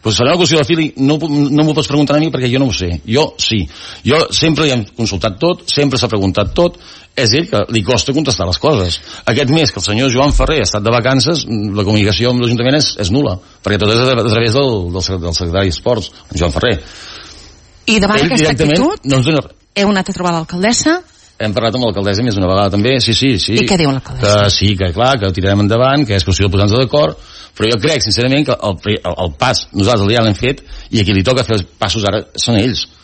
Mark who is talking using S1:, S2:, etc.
S1: Pues serà una qüestió de fili, no m'ho pots preguntar a mi perquè jo no ho sé. Jo sí. Jo sempre li hem consultat tot, sempre s'ha preguntat tot, és ell que li costa contestar les coses. Aquest mes que el senyor Joan Ferrer ha estat de vacances, la comunicació amb l'Ajuntament és nul·la, perquè tot és a través del secretari d'Esports, Joan Ferrer.
S2: I davant aquesta actitud, heu anat a trobar l'alcaldessa?
S1: Hem parlat amb l'alcaldessa més d'una vegada també, sí.
S2: I què diu l'alcaldessa?
S1: Que sí, que clar, que ho tirarem endavant, que és qüestió de posar-nos d'acord, però jo crec sincerament que el pas nosaltres ja l'hem fet i a qui li toca fer els passos ara són ells.